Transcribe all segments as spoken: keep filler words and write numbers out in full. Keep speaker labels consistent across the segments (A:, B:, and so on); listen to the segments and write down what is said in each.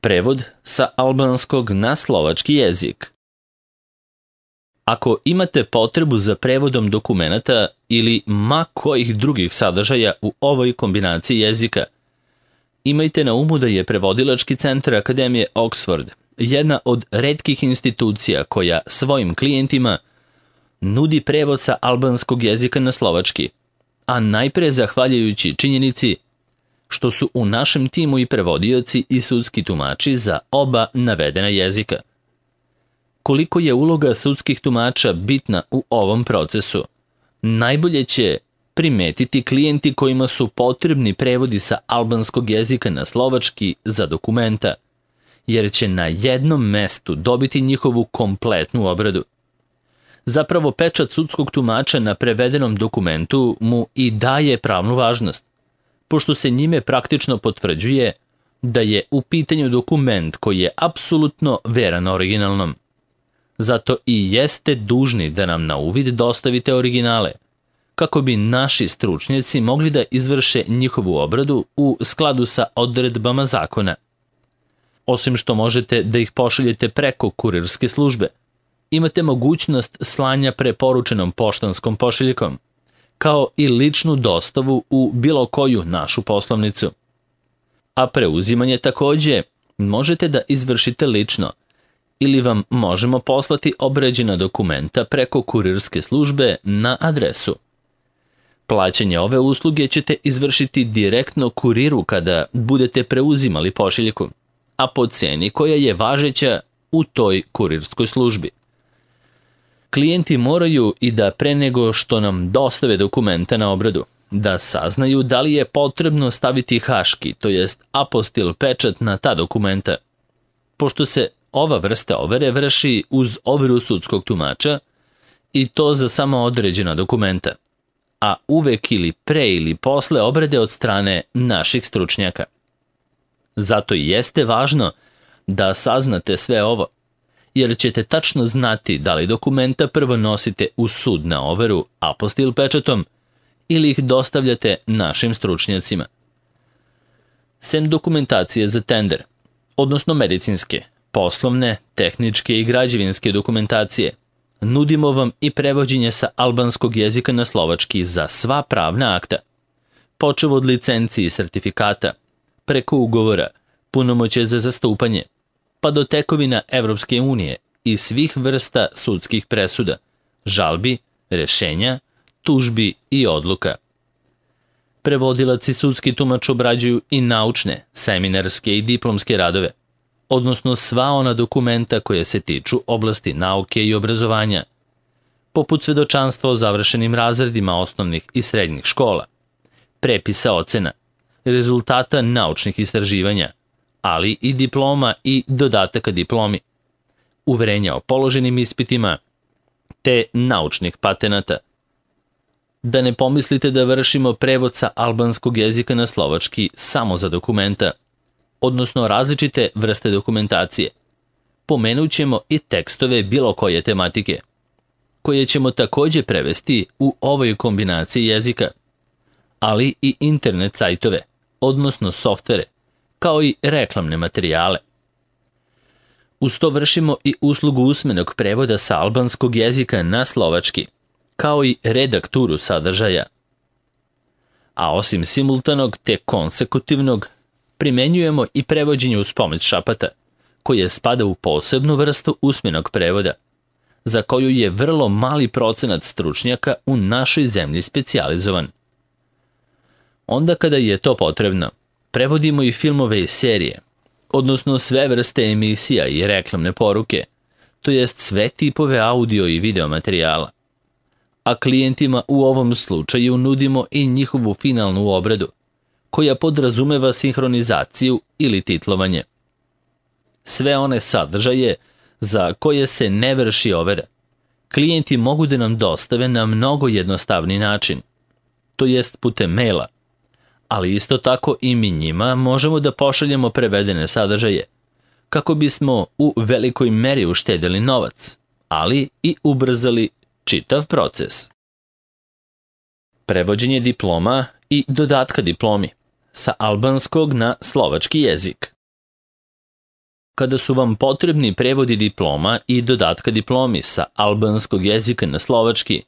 A: Prevod sa albanskog na slovački jezik. Ako imate potrebu za prevodom dokumenata ili ma kojih drugih sadržaja u ovoj kombinaciji jezika, imajte na umu da je Prevodilački centar Akademije Oxford jedna od retkih institucija koja svojim klijentima nudi prevod sa albanskog jezika na slovački, a najpre zahvaljujući činjenici što su u našem timu i prevodioci i sudski tumači za oba navedena jezika. Koliko je uloga sudskih tumača bitna u ovom procesu, najbolje će primetiti klijenti kojima su potrebni prevodi sa albanskog jezika na slovački za dokumenta, jer će na jednom mestu dobiti njihovu kompletnu obradu. Zapravo, pečat sudskog tumača na prevedenom dokumentu mu i daje pravnu važnost, pošto se njime praktično potvrđuje da je u pitanju dokument koji je apsolutno veran originalnom. Zato i jeste dužni da nam na uvid dostavite originale, kako bi naši stručnjaci mogli da izvrše njihovu obradu u skladu sa odredbama zakona. Osim što možete da ih pošaljete preko kurirske službe, imate mogućnost slanja preporučenom poštanskom pošiljkom, kao i ličnu dostavu u bilo koju našu poslovnicu. A preuzimanje takođe možete da izvršite lično ili vam možemo poslati obrađena dokumenta preko kurirske službe na adresu. Plaćanje ove usluge ćete izvršiti direktno kuriru kada budete preuzimali pošiljku, a po ceni koja je važeća u toj kurirskoj službi. Klijenti moraju i da pre nego što nam dostave dokumenta na obradu, da saznaju da li je potrebno staviti haški, to jest apostil pečat na ta dokumenta, pošto se ova vrsta overe vrši uz overu sudskog tumača i to za samo određena dokumenta, a uvek ili pre ili posle obrade od strane naših stručnjaka. Zato i jeste važno da saznate sve ovo, jer ćete tačno znati da li dokumenta prvo nosite u sud na overu apostil pečatom ili ih dostavljate našim stručnjacima. Sem dokumentacije za tender, odnosno medicinske, poslovne, tehničke i građevinske dokumentacije, nudimo vam i prevođenje sa albanskog jezika na slovački za sva pravna akta, počev od licenci i sertifikata, preko ugovora, punomoćje za zastupanje, pa do tekovina Evropske unije i svih vrsta sudskih presuda, žalbi, rešenja, tužbi i odluka. Prevodilac i sudski tumač obrađuju i naučne, seminarske i diplomske radove, odnosno sva ona dokumenta koje se tiču oblasti nauke i obrazovanja, poput svedočanstva o završenim razredima osnovnih i srednjih škola, prepisa ocena, rezultata naučnih istraživanja, ali i diploma i dodataka diplomi, uverenja o položenim ispitima, te naučnih patenata. Da ne pomislite da vršimo prevod sa albanskog jezika na slovački samo za dokumenta, odnosno različite vrste dokumentacije. Pomenut ćemo i tekstove bilo koje tematike, koje ćemo takođe prevesti u ovoj kombinaciji jezika, ali i internet sajtove, odnosno softvere, kao i reklamne materijale. Uz to vršimo i uslugu usmenog prevoda sa albanskog jezika na slovački, kao i redakturu sadržaja. A osim simultanog te konsekutivnog, primenjujemo i prevođenje uz pomoć šapata, koje spada u posebnu vrstu usmenog prevoda, za koju je vrlo mali procenat stručnjaka u našoj zemlji specijalizovan. Onda kada je to potrebno, prevodimo i filmove i serije, odnosno sve vrste emisija i reklamne poruke, to jest sve tipove audio i video materijala. A klijentima u ovom slučaju nudimo i njihovu finalnu obradu, koja podrazumeva sinhronizaciju ili titlovanje. Sve one sadržaje za koje se ne vrši overa, klijenti mogu da nam dostave na mnogo jednostavni način, to jest putem maila, ali isto tako i mi njima možemo da pošaljemo prevedene sadržaje, kako bismo u velikoj meri uštedili novac, ali i ubrzali čitav proces. Prevođenje diploma i dodatka diplomi sa albanskog na slovački jezik. Kada su vam potrebni prevodi diploma i dodatka diplomi sa albanskog jezika na slovački,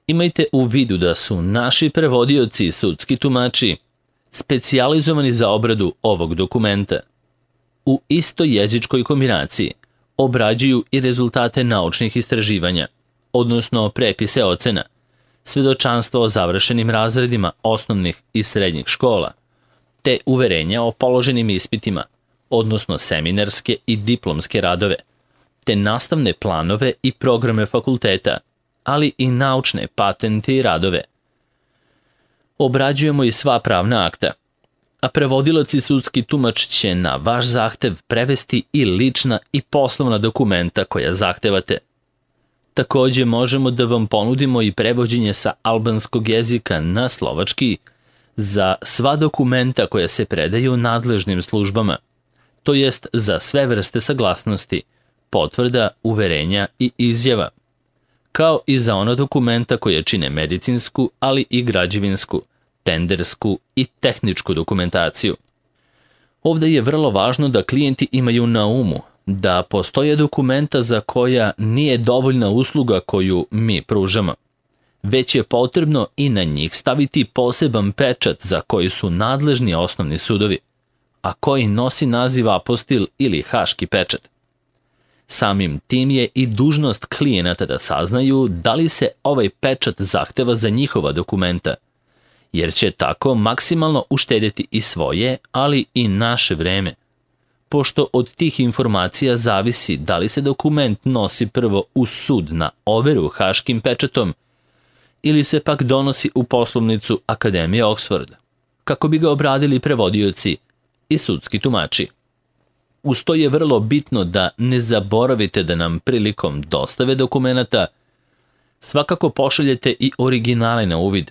A: imajte u vidu da su naši prevodioci i sudski tumači specijalizovani za obradu ovog dokumenta. U istoj jezičkoj kombinaciji obrađuju i rezultate naučnih istraživanja, odnosno prepise ocena, svedočanstva o završenim razredima osnovnih i srednjih škola, te uverenja o položenim ispitima, odnosno seminarske i diplomske radove, te nastavne planove i programe fakulteta, ali i naučne patente i radove. Obrađujemo i sva pravna akta, a prevodilac i sudski tumač će na vaš zahtev prevesti i lična i poslovna dokumenta koja zahtevate. Takođe možemo da vam ponudimo i prevođenje sa albanskog jezika na slovački za sva dokumenta koja se predaju nadležnim službama, to jest za sve vrste saglasnosti, potvrda, uverenja i izjava, kao i za ona dokumenta koje čine medicinsku, ali i građevinsku, tendersku i tehničku dokumentaciju. Ovde je vrlo važno da klijenti imaju na umu da postoje dokumenta za koja nije dovoljna usluga koju mi pružamo, već je potrebno i na njih staviti poseban pečat za koji su nadležni osnovni sudovi, a koji nosi naziv apostil ili haški pečat. Samim tim je i dužnost klijenata da saznaju da li se ovaj pečat zahteva za njihova dokumenta, jer će tako maksimalno uštedjeti i svoje, ali i naše vreme, pošto od tih informacija zavisi da li se dokument nosi prvo u sud na overu haškim pečatom ili se pak donosi u poslovnicu Akademije Oxford, kako bi ga obradili prevodioci i sudski tumači. Uz to je vrlo bitno da ne zaboravite da nam prilikom dostave dokumenata svakako pošaljete i originale na uvid,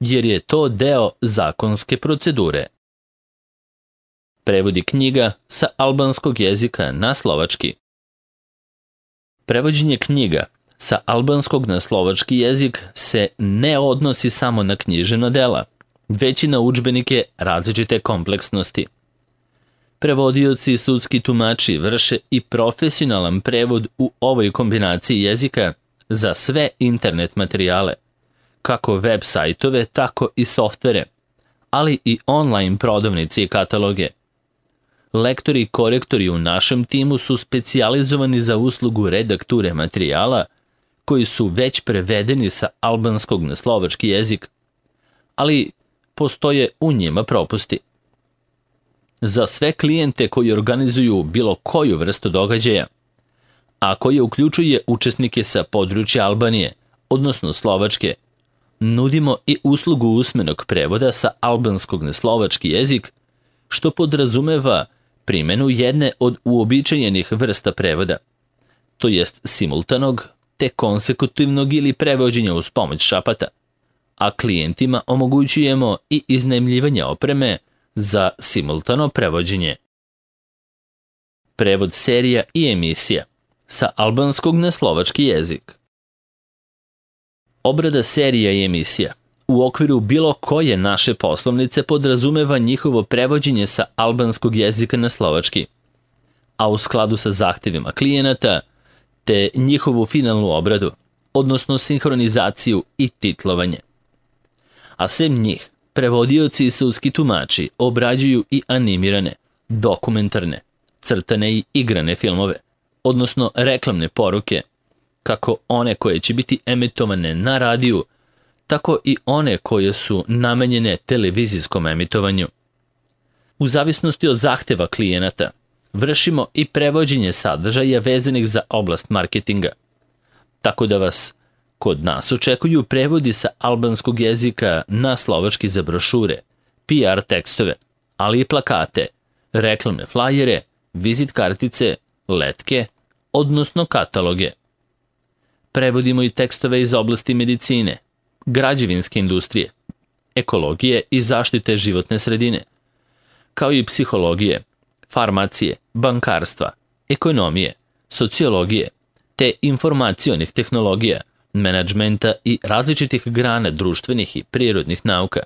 A: jer je to deo zakonske procedure. Prevodi knjiga sa albanskog jezika na slovački. Prevođenje knjiga sa albanskog na slovački jezik se ne odnosi samo na književna dela, već i na udžbenike različite kompleksnosti. Prevodioci i sudski tumači vrše i profesionalan prevod u ovoj kombinaciji jezika za sve internet materijale, kako web sajtove, tako i softvere, ali i online prodavnice i kataloge. Lektori i korektori u našem timu su specijalizovani za uslugu redakture materijala koji su već prevedeni sa albanskog na slovački jezik, ali postoje u njima propusti. Za sve klijente koji organizuju bilo koju vrstu događaja, a koje uključuje učesnike sa područja Albanije, odnosno Slovačke, nudimo i uslugu usmenog prevoda sa albanskog na slovački jezik, što podrazumeva primjenu jedne od uobičajenih vrsta prevoda, to jest simultanog, te konsekutivnog ili prevođenja uz pomoć šapata, a klijentima omogućujemo i iznajmljivanje opreme za simultano prevođenje. Prevod serija i emisija sa albanskog na slovački jezik. Obrada serija i emisija u okviru bilo koje naše poslovnice podrazumeva njihovo prevođenje sa albanskog jezika na slovački, a u skladu sa zahtevima klijenata, te njihovu finalnu obradu, odnosno sinhronizaciju i titlovanje. A sem njih, prevodioci i sudski tumači obrađuju i animirane, dokumentarne, crtane i igrane filmove, odnosno reklamne poruke, kako one koje će biti emitovane na radiju, tako i one koje su namenjene televizijskom emitovanju. U zavisnosti od zahteva klijenata, vršimo i prevođenje sadržaja vezanih za oblast marketinga, tako da vas kod nas očekuju prevodi sa albanskog jezika na slovački za brošure, P R tekstove, ali i plakate, reklamne flajere, vizit kartice, letke, odnosno kataloge. Prevodimo i tekstove iz oblasti medicine, građevinske industrije, ekologije i zaštite životne sredine, kao i psihologije, farmacije, bankarstva, ekonomije, sociologije, te informacionih tehnologija, menadžmenta i različitih grana društvenih i prirodnih nauka.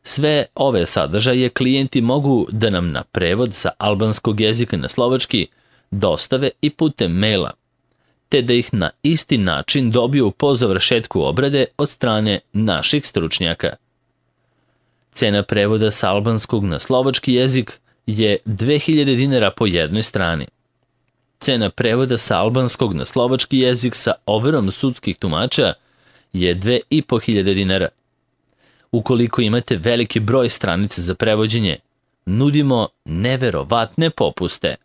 A: Sve ove sadržaje klijenti mogu da nam na prevod sa albanskog jezika na slovački dostave i putem maila, te da ih na isti način dobiju po završetku obrade od strane naših stručnjaka. Cena prevoda sa albanskog na slovački jezik je dve hiljade dinara po jednoj strani. Cena prevoda sa albanskog na slovački jezik sa overom sudskih tumača je dve i po hiljade dinara. Ukoliko imate veliki broj stranica za prevođenje, nudimo neverovatne popuste.